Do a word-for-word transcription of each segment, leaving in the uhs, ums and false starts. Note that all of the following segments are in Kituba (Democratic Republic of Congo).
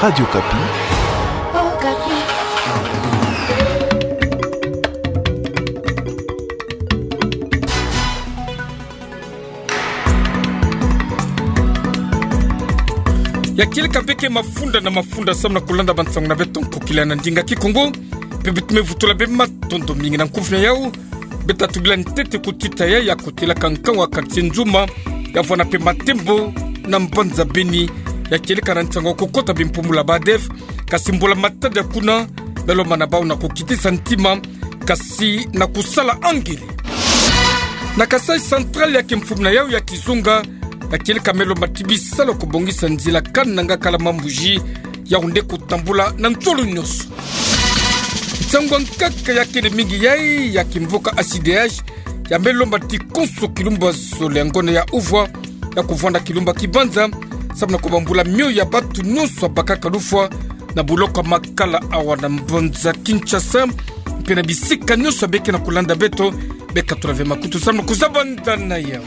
Radio Okapi. Ya kieleka beke mafunda na mafunda samu na kulanda bansango na beto nkokila na ndinga Kikongo. Mpe beto me vutula be matondo mingi na nkumvu na yau. Beta tubila ntete kutita ya ya kotelaka nkangu a quartier Nzuma, ya vwanda mpe Matembo na mbanza Beni, ya kieleka na nsangu kukota bimpumbulu ya ba ADF, kasi mbula matadi ya kuna, me lomba na bau na kukitisa ntima, kasi na kusala angele. Na Kasaï Central ya ke mfumu na yau ya kizunga, ya kieleka me lomba ti bisalu ya kubongisa nzila kananga kala mambuji, yau nde kutambula na nsolo nyonso. Nsangu ya nkaka ya kele mingi yai ya kimvuka A C D H, ya me lomba ti konso kilumba zole ya ngonda ya uvwa, ya kuvwanda kilumba kibanza, samu na kubambula mio ya batu nyonso ya bakaka lufwa, na buloko ya makala awa na mbanza Kinshasa, mpe na bisika nyonso ya beke na kulanda beto, beka tula ve makutu samu na kuzabanda na yau.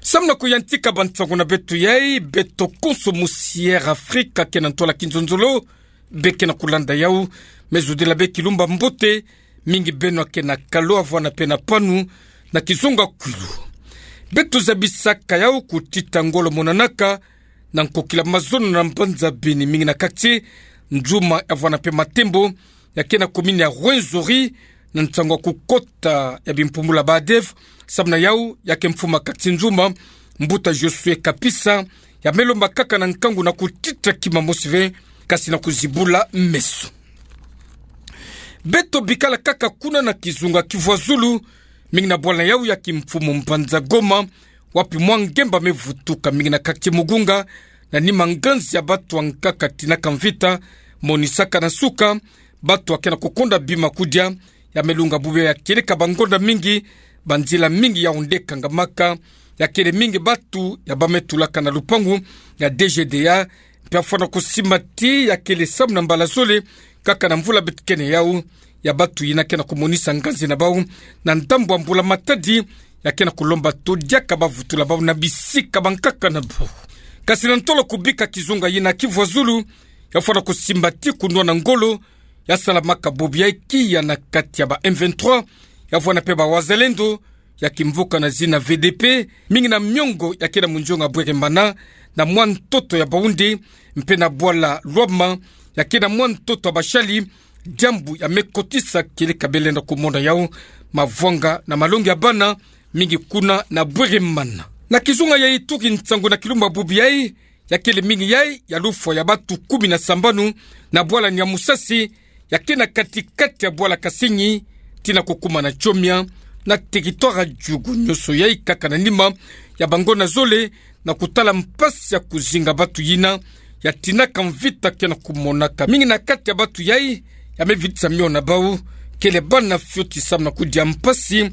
Samu na kuyantika bansango na beto yai, beto konso musi Air Afrique ke na ntwala kinzonzolo, beke na kulanda yau, me zudila be kilumba mbote, mingi beno ke na kalo avwanda mpe na panu, na kizunga kwilu. Beto zabisaka yau kutita ngolo monanaka, na nkokila mazono na mbanza Beni mingi na quartier Nzuma ya vwanda mpe Matembo, ya ke na commune ya Rwenzori, na nsangu ya kukota ya bimpumbulu ya ba ADF, samu na yau ya ke mfumu a quartier Nzuma, mbuta Josué Kapisa, ya me lomba kaka na nkangu na kutita kima mosi ve, kasi na kuzibula meso. Beto bikala kaka kuna na kizunga Kivu ya Zulu, mingi na bwala yau ya kimfumu mbanza Goma, wapi mwa ngemba me vutuka mingi na quartier Mugunga, na nima nganzi ya batu ya nkaka tinaka mvita, monisaka na nsuka, batu ya ke na kukonda bima kudia, ya me lunga bubu ya kieleka bangonda mingi, banzila mingi yau nde kangamaka, ya kele mingi batu ya ba me tulaka na lupangu ya D G D A, mpe ya fwana kusimba ti ya kele samu na mbala zole, kaka na mvula beto kene yau, ya batu yina ke na kumonisa nganzi na bau, na ndambu ya mbula matadi, ya ke na kulomba to diaka ba vutula bau na bisika bankaka na bau. Kasi na ntolo kubika kizunga yina Kivu ya Zulu, ya fwana kusimba ti kunwana ngolo, ya salamaka bobo ya ikiya na kati ya ba M vingt-trois, ya vwanda mpe ba Wazalendo, ya kimvuka na zina V D P, mingi na miongo ya ke na munzionga Bweremana, na mwa ntoto ya Baoundé, mpe na bwala Lwama, ya ke na mwa ntoto ya Bashali, diambu ya me kotisa kieleka be lenda kumona yau, mavwanga na malongi ya bana, mingi kuna na Bweremana. Na kizunga ya Ituri nsangu na kilumba bubu yai, ya kele mingi yai, ya lufwa ya batu kumi na sambanu, na bwala Niamusasi, ya ke na kati-kati ya bwala Kasenyi, tii na kukuma na Tchomia, na territoire ya Djugu nyonso yai kaka na nima ya bangonda zole, na kutala mpasi ya kuzinga batu yina, ya tinaka mvita ke na kumonaka. Mingi na kati ya batu yai, ya me vitisa mio na bau, kele bana fioti samu na kudia mpasi,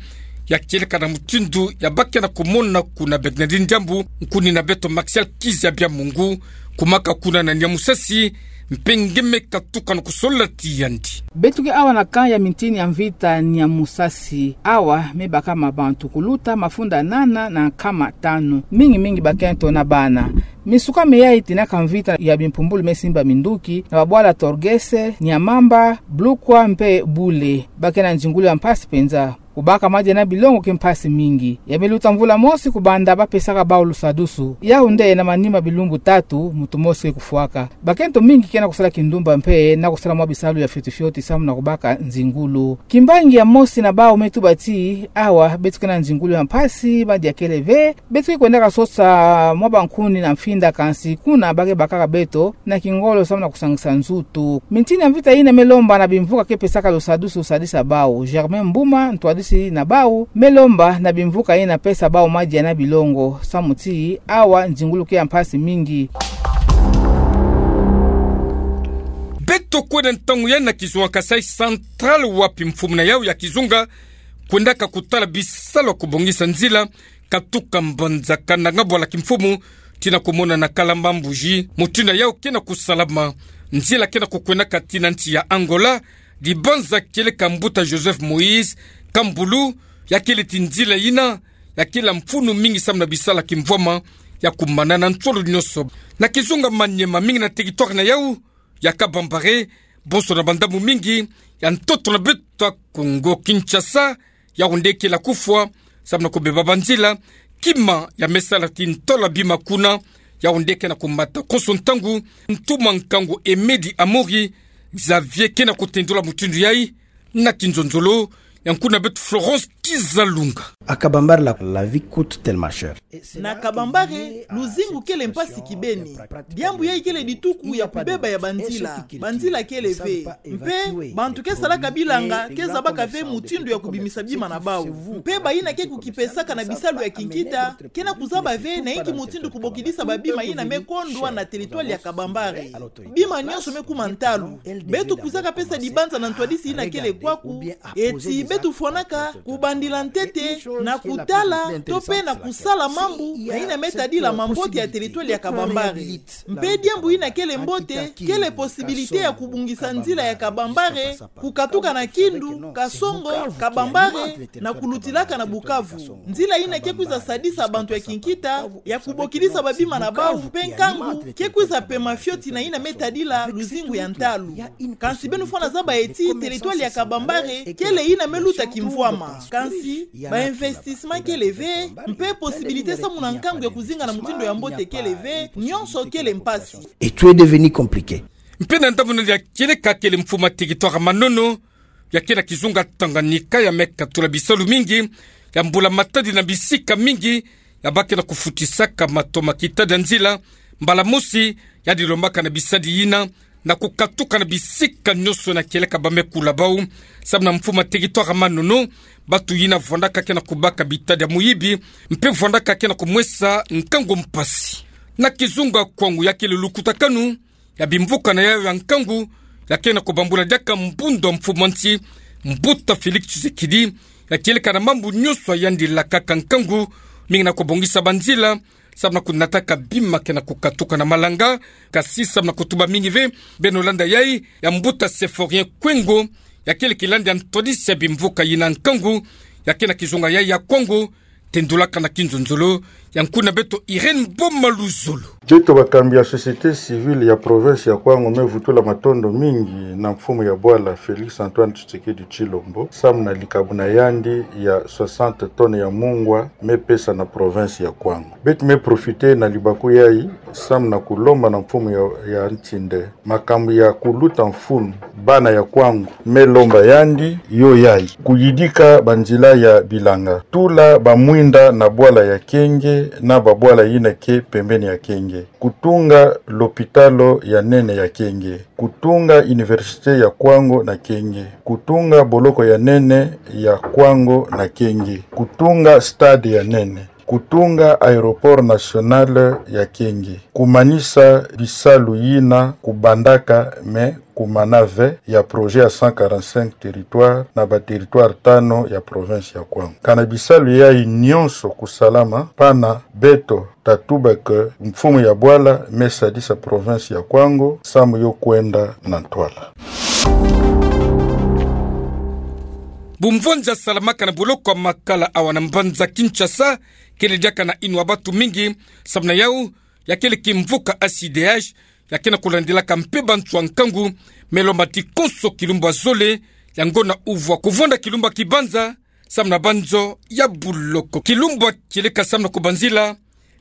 ya kieleka na mutindu ya ba ke na kumona kuna Bernardine Diambu, nkuni na beto Martial Kizabia Mungu, kumaka kuna na Niamusasi, mpe nge me katuka na kusolola ti yandi. Beto ke awa na camp ya mintini ya mvita Niamusasi. Awa me baka mabantu kuluta mafunda nana na nkama tanu. Mingi-mingi bakento na bana. Misuka miyai tinaka mvita ya bimpumbulu me simba minduki, na babwala Torgese, Niamamba, Blukwa mpe Bule. Ba ke na nzingulu ya mpasi penza. Kubaka madia na bilongo ke mpasi mingi. Ya me luta mvula mosi kubanda ba pesaka bau lusadusu. Yau nde na manima bilumbu tatu, muntu mosi ke kufwaka. Bakento mingi ke na kusala kindumba mpe na kusala mwa bisalu ya fioti-fioti samu na kubaka nzingulu. Kimbangi ya mosi na bau me tuba ti, awa, beto ke na nzingulu ya mpasi, madia kele ve, beto ke kwendaka sosa mwa bankuni na mfinda kansi, kuna ba ke bakaka beto, na kingolo samu na kusangisa nzutu. Mintini ya mvita yina me lomba na bimvuka ke pesaka lusadusu sadisa bau. Germain Mbuma, ntwadisi na bau, me lomba na bimvuka yina pesa bau madia na bilongo. Samu ti, awa nzingulu ke ya mpasi mingi. Beto kwenda ntangu yai na kizunga Kasaï Central wapi mfumu na yau ya kizunga, kwendaka kutala bisalu ya kubongisa nzila, katuka mbanza Kananga bwala kimfumu, tii na kumona na Kalamba Mbuji, mutindu yau ke na kusalama. Nzila ke na kukwendaka tii na nsi ya Angola, dibanza kieleka mbuta Joseph Moïse Kambulu, ya kele ti nzila yina, ya kila mfunu mingi samu na bisala kimvwama ya kumana na nsolo nyonso. Na kizunga Maniema, mingi na territoire na yau ya Kabambare, bonso na bandambu mingi ya ntoto na beto ya Kongo Kinshasa, yau nde kele kufwa samu na kubeba banzila, kima ya me sala ti ntola bima kuna, yau nde ke na kumata konso ntangu. Ntuma nkangu Emedi Amori Xavier ke na kutendula mutindu yai na kinzonzolo, ya nkuna beto Florence Kizalunga. À Kabambare, la, la vie coûte tellement cher. Na Kabambare, luzingu kele mpasi kibeni. Diambu yai kele dituku ya kubeba ya banzila. Banzila kele ve. Mpe bantu ke salaka bilanga ke zabaka ve mutindu ya kubimisa bima na bau. Mpe bayina ke kukipesaka na bisalu ya kinkita ke na kuzaba ve na inki mutindu kubokidisa babima yina me kondwa na territoire ya Kabambare. Bima nyonso me kuma ntalu. Beto kwizaka pesa dibanza na ntwadisi yina kele kwaku, eti beto fwanaka kubandila ntete na kutala to pe na kusala mambu na yina me tadila mambote ya territoire ya Kabambare. Mpe diambu yina kele mbote, kele possibilité ya kubongisa nzila ya Kabambare kukatuka na Kindu, Kasongo, Kabambare, na kulutilaka na Bukavu. Nzila yina ke kwiza sadisa bantu ya kinkita ya kubokidisa babima na bau, mpe nkangu ke kwiza pema fioti na yina me tadila luzingu ya ntalu. Kansi beno fwana zaba eti territoire ya Kabambare kele yina me luta kimvwama. Kansi ba investissement kele ve, mpe possibilité samu na nkangu ya kuzinga na mutindu ya mbote kele ve, nyonso kele mpasi. Et tout est devenu compliqué. Mpe na ndambu na ya kieleka kele mfumu ya territoire Manono, ya ke na kizunga Tanganyika, ya me katula bisalu mingi ya mbula-matadi na bisika mingi, ya ba ke na kufutisaka matoma kita ya nzila, mbala mosi ya dilombaka na bisadi yina na kukatuka na bisika nyonso na kieleka ba me kula bau. Samu na mfumu ya territoire Manono, bantu yina vwandaka ke na kubaka bitadi ya muyibi, mpe vwandaka ke na kumwesa nkangu mpasi. Na kizunga Kwango, ya kele lukutakanu ya bimvuka na yau ya nkangu, ya ke na kubambula diaka mbundu ya mfumu ya nsi, Mbuta Félix Tshisekedi, ya kieleka na mambu nyonso ya yandi lakaka nkangu, mingi na kubongisa banzila samu na kunataka bima ke na kukatuka na malanga, kasi samu na kutuba mingi ve. Beno landa yai ya Mbuta Symphorien Kwengo, ya kele kilandi ya ntwadisi ya bimvuka yina nkangu, ya ke na kizunga yai ya Kwango. Tendulaka na kinzonzolo ya nkuna beto Irène Boma Luzolo. Beto bakambi ya société civile ya province ya Kwango me vutula matondo mingi na mfumu ya bwala Félix Antoine Tshisekedi Tshilombo, samu na likabu na yandi ya soixante tonnes ya mungwa me pesa na province ya Kwango. Beto me profiter na libaku yai samu na kulomba na mfumu ya, ya nsi nde makambu ya kuluta mfunu bana ya Kwango me lomba yandi yo yai: kuyidika banzila ya bilanga, tula bamwinda na bwala ya Kenge na babwala yina ke pembeni ya Kenge, kutunga lopitalo ya nene ya Kenge, kutunga université ya Kwango na Kenge, kutunga boloko ya nene ya Kwango na Kenge, kutunga stade ya nene, kutunga aéroport national ya Kenge, kumanisa bisalu yina kubandaka me kumana ve ya projet ya cent quarante-cinq territoires na ba territoires tano ya province ya Kwango. Kana bisalu yai nyonso kusalama, pana beto tatuba que mfumu ya bwala me sadisa province ya Kwango samu yo kwenda na ntwala. Bumvonza salamaka na boloko ya Makala awa na mbanza Kinshasa, kele diaka na inwa bantu mingi, samu na yau, ya kele kimvuka A C D H, ya ke na kulandilaka mpe bantu ya nkangu, me lomba ti konso kilumbu ya zole, yango na uvwa kuvonda kilumbu ya kibanza, samu na banzo ya buloko. Kilumbu ya kieleka samu na kubanzila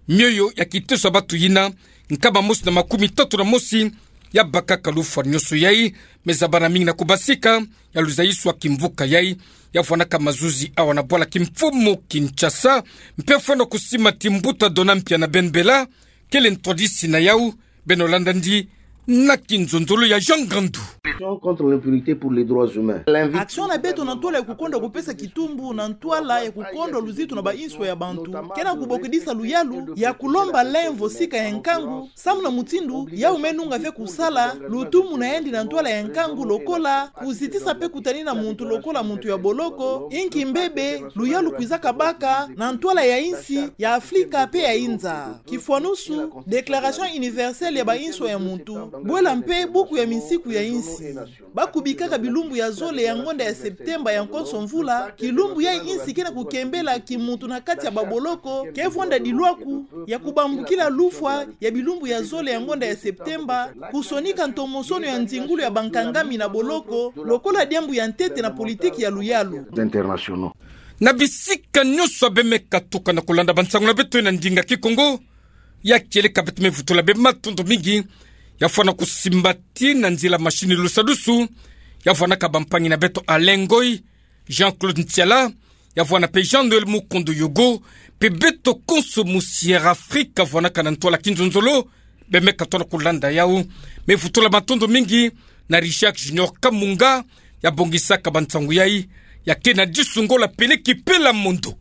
mioyo ya kiteso ya bantu yina, nkama mosi na makumi tatu na mosi ya bakaka lufwa nyonso yai, me zabana mingi na kubasika ya luzayiso ya kimvuka yai, ya vwanaka mazuzi awa na bwala kimfumu Kinshasa, mpe fwana kusima ti mbuta Dona Mpiana Ben Bella, kele ntwadisi na yau, beno landa ndi na kinzonzolo ya Jean Ngandu. Action contre l'impunité pour les droits humains. Action na beto na ntwala ya kukondwa kupesa kitumbu na ntwala ya kukondwa luzitu na bainswa ya bantu, ke na kubokidisa luyalu ya kulomba lemvo sika ya nkangu, samu na mutindu yau me nunga ve kusala lutumu na yandi na ntwala ya nkangu lokola kuzitisa mpe kutanina muntu lokola muntu ya boloko, inki mbebe luyalu kwizaka baka na ntwala ya insi ya Afrika mpe ya inza. Kifwanusu, Déclaration universelle ya bainswa ya muntu, Bwela mpe buku ya minsiku ya insi. Bakubikaka bilumbu ya zole ya ngonda ya Septemba ya nkonso mvula, kilumbu ya insi ke na kukembela kimuntu na kati ya baboloko, ke vwanda dilwaku ya kubambukila lufwa ya bilumbu ya zole ya ngonda ya Septemba, kusonika ntomosono ya nzingulu ya bankangami na boloko, lokola diambu ya ntete na politiki ya luyalu. Na bisika nyonso ya bemeka tuka na kulanda bansangu na beto na ndinga Kikongo, ya kieleka beto me vutula bematondo mingi, ya fwana kusimbati na nzila machine lusadusu, ya fwanaka bampangi na beto Alain Ngoy, Jean-Claude Ntiala, ya fwana mpe Jean-Noël Mukondo Yogo, mpe beto konso mu Sierra Afrika fwanaka na ntwala kinzonzolo, bemeka tona kulanda yau. Me vutula matondo mingi na Richard Junior Kamunga, ya bongisaka bansangu yai, ya ke na disu ngola pele kipela mondo.